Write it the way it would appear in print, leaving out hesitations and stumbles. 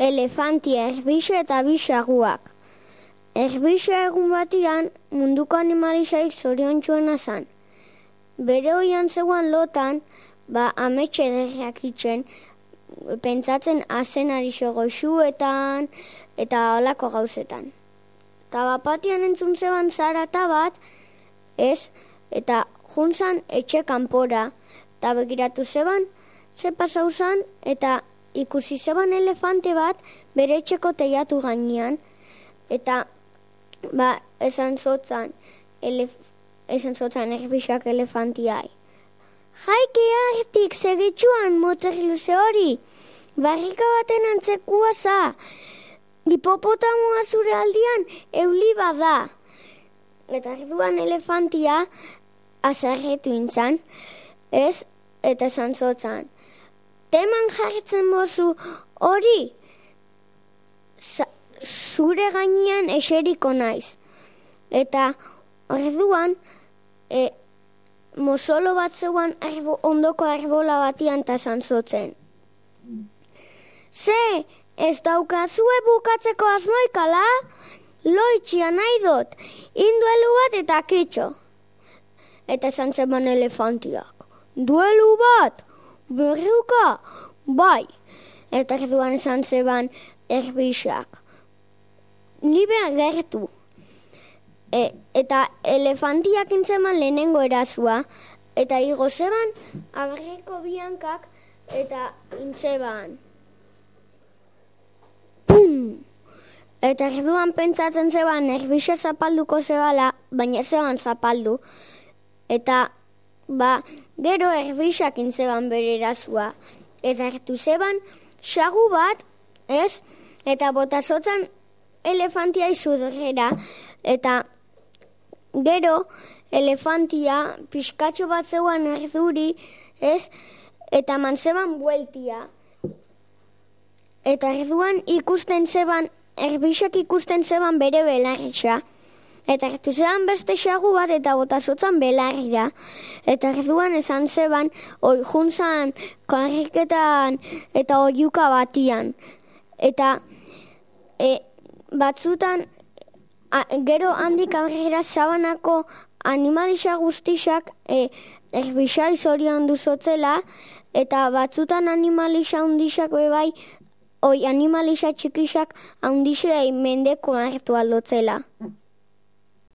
elefantia, erbixa eta bi xaguak. Erbixa egun batian munduko animalisaik zoriontsuena zan. Bere oian zegoan lotan, ametxe ederrak itxen, pentsatzen azenari goxuetan eta olako gauzetan. Eta bapatian entzun zeban zarata bat, eta juntzan etxe kanpora, eta begiratu zeban, ze pasau zan, eta ikusi zeban elefante bat bere etxeko teiatu gainean, eta esan zotzan erbixak elefantiai. Jaiki hartik segitxuan motek luze hori, barrika baten antzekua za, hipopotamoa zure aldian euli bada. Eta erduan elefantia azarretu intzan, eta esan zotzan. Teman jartzen bozu hori, zure gainean eseriko naiz. Eta orduan, mozolo bat zeuan ondoko arbola batian eta zantzotzen. Ze, ez daukazue bukatzeko asmoikala? Loitxia nahi dut, induelu bat eta kitxo. Eta zantzeban elefantiak. Duelu bat, berriuka, bai. Eta erduan zantzeban erbixak. Ni behar gertu. Eta elefantiak intzeman lehenengo erazua, eta igo zeban abarreko biankak eta intzeban. Pum! Eta erduan pentsatzen zeban erbixa zapalduko zebala, baina zeban zapaldu. Eta gero erbixak intzeban bere erazua. Eta hartu zeban xagu bat, eta botazotzan elefantia izudurera, eta gero elefantia pixkatxo bat zeuan erduri, eta man zeban bueltia. Eta erduan ikusten zeban, erbixak ikusten zeban bere belarritza. Eta ertu zeban beste xagu bat eta botazotzan belarrira. Eta erduan esan zeban, juntzan, karriketan eta oiuka batian. Eta batzutan, gero handik aurrera zabanako animalisa guztixak erbixai zorion duzotzela, eta batzutan animalisa hundixak bebai, animalisa txikixak handixai mendeko hartu aldotzela.